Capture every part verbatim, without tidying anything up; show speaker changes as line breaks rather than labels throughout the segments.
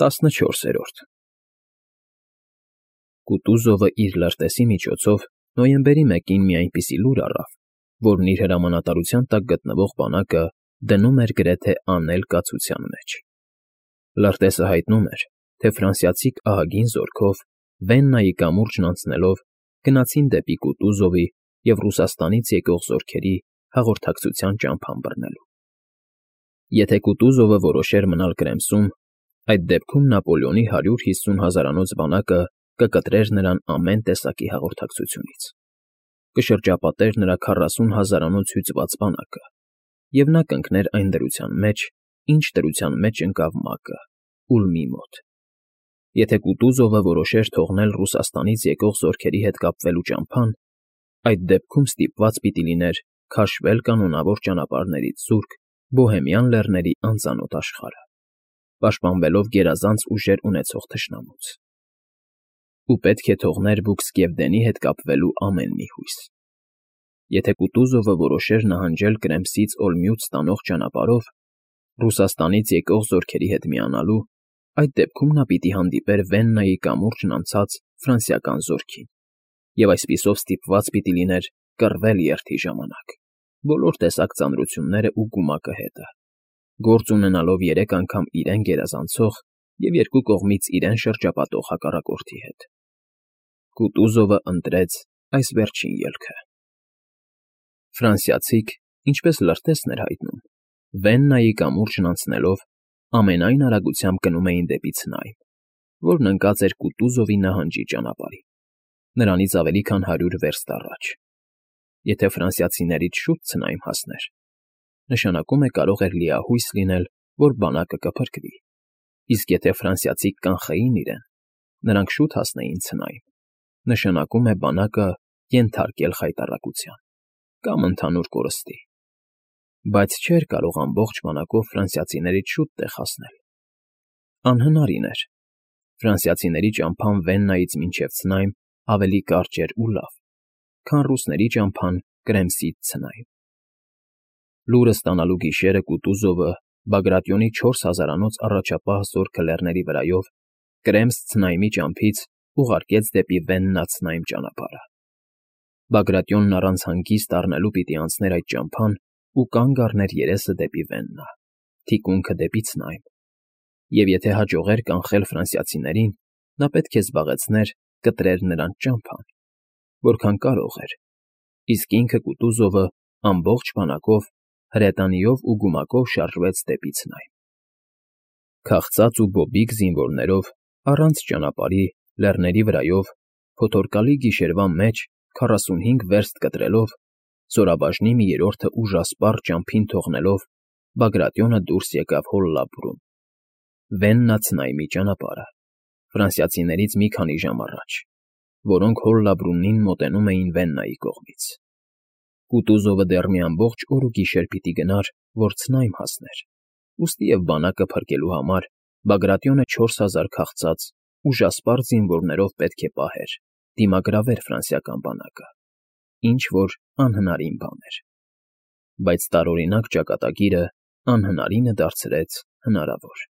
տասնչորսերորդ Կուտուզովը իր լրտեսի միջոցով նոյեմբերի մեկին մի այնպիսի լուր առավ, որն իր հրամանատարության տակ գտնվող բանակը դնում էր գրեթե անել կացության մեջ։ Լրտեսը հայտնում էր, թե ֆրանսիացիք ահագին զորքով, Վեննայի կամուրջն անցնելով, գնացին դեպի Կուտուզովի և Ռուսաստանից եկող զորքերի հաղորդակցության ճամփան բռնելու։ Եթե Կուտուզովը որոշեր մնալ Կրեմսում, այդ դեպքում Նապոլեոնի հարյուր հիսուն հազարանոց բանակը կկտրեր նրան ամեն տեսակի հաղորդակցությունից, կշրջապատեր նրա քառասուն հազարանոց հյուծված բանակը, և նա կընկներ այն դրության մեջ, ինչ դրության մեջ ընկավ մակը՝ Ուլմի մոտ։ Եթե Կուտուզովը որոշեր թողնել Ռուսաստանից եկող զորքերի հետ կապվելու ճամփան, այդ դեպքում ստիպված պիտի լիներ քաշվել կանոնավոր ճանապարհներից զուրկ Բոհեմյան լեռների անծանոթ աշխարհը, պաշտպանվելով գերազանց ուժեր ունեցող թշնամուց։ Ու պետք է թողներ Բուքսկևդենի հետ կապվելու ամեն մի հույս։ Եթե Կուտուզովը որոշեր նահանջել Կրեմսից Օլմյուտ ստանող ճանապարհով, Ռուսաստանից եկող զորքերի հետ միանալու, այդ դեպքում նա պիտի հանդիպեր Վեննայի կամուրջն անցած ֆրանսիական զորքին, և այսպիսով ստիպված պիտի լիներ կռվել երթի ժամանակ, բոլոր տեսակ ծանրությունները ու գումակը հետը, գործ ունենալով երեք անգամ իրեն գերազանցող և երկու կողմից իրեն շրջապատող հակառակորդի հետ։ Կուտուզովը ընտրեց այս վերջին ելքը։ Ֆրանսիացիք, ինչպես լրտեսն էր հայտնում, Վեննայի կամուրջն անցնելով, ամենայն արագությամբ գնում էին դեպի Ցնայմ, որն ընկած էր Կուտուզովի նահանջի ճանապարհին, նրանից ավելի քան հարյուր վերստ առաջ։ Եթե ֆրանսիացիներից շուտ Ցնայմ հասներ, նշանակում է կարող էր լիահույս լինել, որ բանակը կփրկվի, իսկ եթե ֆրանսիացիք կանխեին իրեն, նրանք շուտ հասնեին Ցնայմ, նշանակում է բանակը ենթարկել խայտառակության կամ ընդհանուր կորստի, բայց չէր կարող ամբողջ բանակով ֆրանսիացիներից շուտ տեղ հասնել։ Անհնարին էր։ Ֆրանսիացիների ճամփան Վեննայից մինչև Ցնայմ ավելի կարճ էր ու լավ, քան ռուսների ճամփան Կրեմսից Ցնայմ։ Լուրը ստանալու գիշերը Կուտուզովը Բագրատիոնի չորս հազարանոց առաջապահ զորքը լեռների վրայով Կրեմս֊Ցնայմի ճամփից ուղարկեց դեպի Վեննա֊Ցնայմ ճանապարհը։ Բագրատիոնն առանց հանգիստ առնելու պիտի անցներ այդ ճամփան ու կանգ առներ երեսը դեպի Վեննա, թիկունքը դեպի Ցնայմ, և եթե հաջողեր կանխել ֆրանսիացիներին, նա պետք է զբաղեցներ կտրեր նրանց ճամփան, որքան կարող էր, իսկ ինքը Կուտուզովը ամբողջ բանակով, հրետանիով ու գումակով շարժվեց դեպի Ցնայմ։ Քաղցած ու բոբիկ զինվորներով, առանց ճանապարհի, լեռների վրայով, փոթորկալի գիշերվա մեջ քառասունհինգ վերստ կտրելով, զորաբաժնի մի երրորդը ուժասպառ ճամփին թողնելով, Բագրատիոնը դուրս եկավ Հոլլաբրուն, Վեննա֊Ցնայմի ճանապարհը, ֆրանսիացիներից մի քանի ժամ առաջ, որոնք Հոլլաբրունին մոտենում էին Վեննայի կողմից։ Կուտուզովը դեռ մի ամբողջ օր ու գիշեր պիտի գնար, որ Ցնայմ հասներ, ուստիև բանակը փրկելու համար Բագրատիոնը չորս հազար քաղցած, ուժասպառ զինվորներով պետք է պահեր, դիմագրավեր ֆրանսիական բանակը, ինչ֊որ անհնարին բան էր։ Բայց տարօրինակ ճակատագիրը անհնարինը դարձրեց հնարավոր։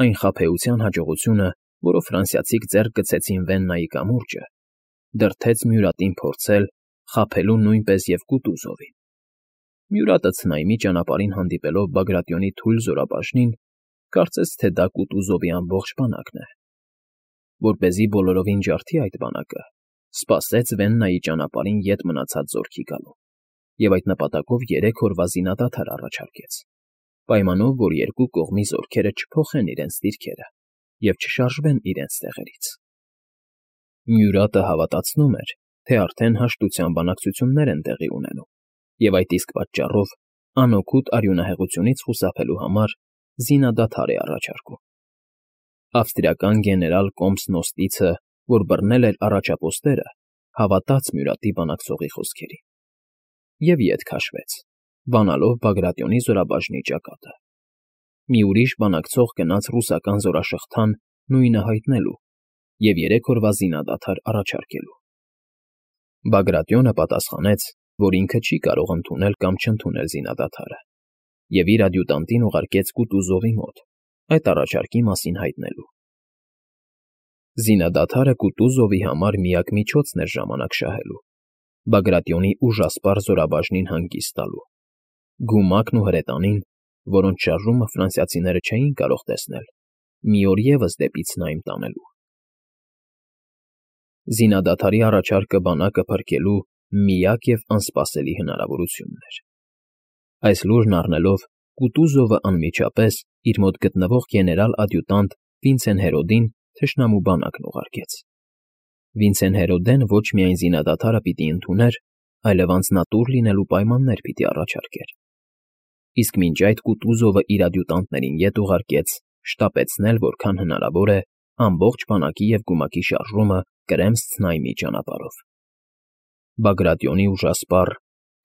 Այն խաբեության հաջողությունը, որով ֆրանսիացիք ձեռք գցեցին Վեննայի կամուրջը, դրդեց Մյուրատին փորձել խաբելու նույնպես և Կուտուզովին։ Մյուրատը Ցնայմի ճանապարհին հանդիպելով Բագրատիոնի թույլ զորաբաժնին, կարծեց, թե դա Կուտուզովի ամբողջ բանակն է։ Որպեսզի բոլորովին ջարդի այդ բանակը, սպասեց Վեննայի ճանապարհին ետ մնացած զորքի գալուն և այդ նպատակով երեք օրվա զինադադար առաջարկեց, պայմանով, որ երկու կողմի զորքերը չփոխեն իրենց դիրքերը և չշարժվեն իրենց տեղերից։ Մյուրատը հավատացնում էր, թե արդեն հաշտության բանակցություններ են տեղի ունենում, և այդ իսկ պատճառով անօգուտ արյունահեղությունից խուսափելու համար զինադադար է առաջարկում։ Ավստրիական գեներալ Կոմս֊Նոստիցը, որ բռնել էր առաջապոստերը, հավատաց Մյուրատի բանակցողի խոսքերին և ետ քաշվեց, բանալով Բագրատիոնի զորաբաժնի ճակատը։ Մի ուրիշ բանակցող գնաց ռուսական զորաշղթան նույնը հայտնելու և երեք օրվա զինադադար առաջարկելու։ Բագրատիոնը պատասխանեց, որ ինքը չի կարող ընդունել կամ չընդունել զինադադարը, և իր ադյուտանտին ուղարկեց Կուտուզովի մոտ, այդ առաջարկի մասին հայտնելու։ Զինադադարը Կուտուզովի համար միակ միջոցն էր ժամանակ շահելու, Բագրատիոնի ուժասպառ զորաբաժնին հանգիստ տալու։ Գումակն ու հրետանին, որոնց շարժումը ֆրանսիացիները չէին կարող տեսնել, մի օր ևս դեպի Ցնայմ տանելու։ Զինադադարի առաջարկը բանակը փրկելու միակ և անսպասելի հնարավորությունն էր։ Այս լուրն առնելով, Կուտուզովը անմիջապես իր մոտ գտնվող գեներալ֊ադյուտանտ Վինցեն-Հերոդին թշնամու բանակն ուղարկեց։ Վինցեն֊Հերոդեն ոչ միայն զինադադարը պիտի ընդուներ, այլև անձնատուր լինելու պայմաններ պիտի առաջարկեր։ Իսկ մինչ այդ Կուտուզովը իր ադյուտանտներին ետ ուղարկեց շտապեցնել որքան հնարավոր է ամբողջ բանակի և գումակի շարժումը Կրեմս֊Ցնայմի ճանապարհով։ Բագրատիոնի ուժասպառ,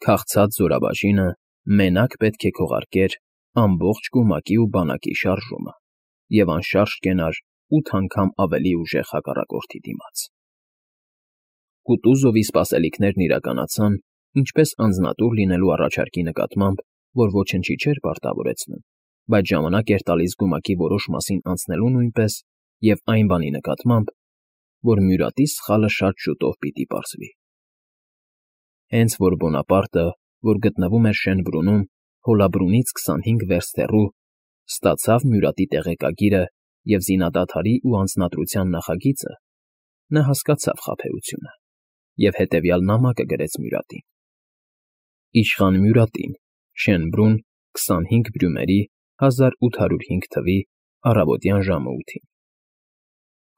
քաղցած զորաբաժինը մենակ պետք է քողարկեր ամբողջ գումակի ու բանակի շարժումը և անշարժ կենար ութ անգամ ավելի ուժեղ հակառակորդի դիմաց։ Կուտուզովի սպասելիքներն իրականացան ինչպես անձնատուր լինելու առաջարկի նկատմամբ, որ ոչնչի չէր պարտավորեցնում, բայց ժամանակ էր տալիս գումակի որոշ մասին անցնելու նույնպես և այն բանի նկատմամբ, որ Մյուրատի սխալը շատ շուտով պիտի պարզվի։ Հենց որ Բոնապարտը, որ գտնվում էր Շենբրունում, Հոլաբրունից քսանհինգ վերստ հեռու, ստացավ Մյուրատի տեղեկագիրը և զինադադարի ու անձնադրության նախագիծը, նա հասկացավ խաբեությունը և հետևյալ նամակը գրեց Մյուրատին. Իշխան Մյուրատին, Շենբրուն, քսանհինգ Բրյումերի հազար ութ հարյուր հինգ թվականի առավոտյան ժամը ութին։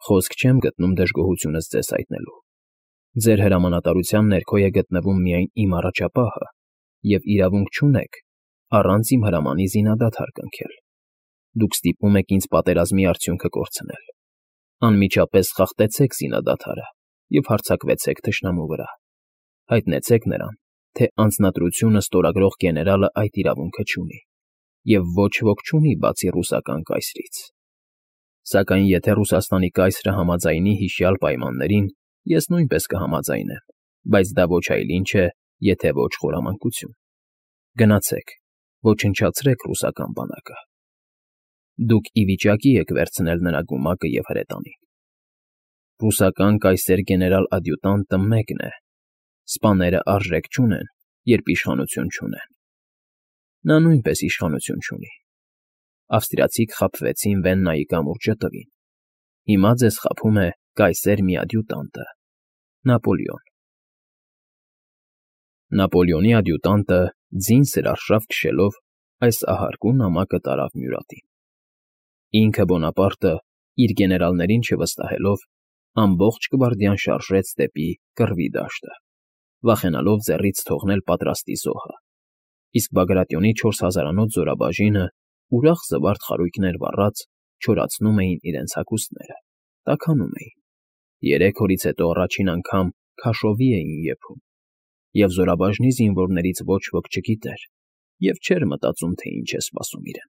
Խոսք չեմ գտնում դժգոհությունս ձեզ հայտնելու։ Ձեր հրամանատարության ներքո է գտնվում միայն իմ առաջապահը, և իրավունք չունեք առանց իմ հրամանի զինադադար կնքել։ Դուք ստիպում եք ինձ պատերազմի արդյունքը կորցնել։ Անմիջապես խախտեցեք զինադադարը և հարձակվեցեք թշնամու վրա։ Հայտնեցեք նրան, թե անձնադրությունը ստորագրող գեներալը այդ իրավունքը չունի, և ոչ ոք չունի բացի ռուսական կայսրից։ Սակայն եթե Ռուսաստանի կայսրը համաձայնի հիշյալ պայմաններին, ես նույնպես կհամաձայնեմ, բայց դա ոչ այլ ինչ է, եթե ոչ խորամանկություն։ Գնացեք, ոչնչացրեք ռուսական բանակը։ Դուք ի վիճակի եք վերցնել նրա գումակը և հրետանին։ Ռուսական կայսեր գեներալ֊ադյուտանտը մեկն է, սպաները արժեք չունեն, երբ իշխանություն չունեն։ Նա նույնպես իշխանություն չունի։ Ավստրիացիք խաբվեցին Վեննայի կամուրջը տվին։ Հիմա ձեզ խաբում է կայսեր մի ադյուտանտը՝ Նապոլեոն։ Նապոլեոնի ադյուտանտը ձին սրարշավ քշելով այս ահարկու նամակը տարավ Մյուրատին։ Ինքը Բոնապարտը, իր գեներալներին չվստահելով, ամբողջ գվարդիան շարժեց դեպի Կռվի դաշտը, վախենալով ձեռից թողնել պատրաստի զոհը, իսկ Բագրատիոնի չորս հազարանոց զորաբաժինը, ուրախ զվարթ խարույկներ վառած, չորացնում էին իրենց հագուստները, տաքանում էին, երեք օրից հետո առաջին անգամ քաշովի էին եփում, և զորաբաժնի զինվորներից ոչ ոք չգիտեր և չէր մտածում, թե ինչ է սպասում իրեն։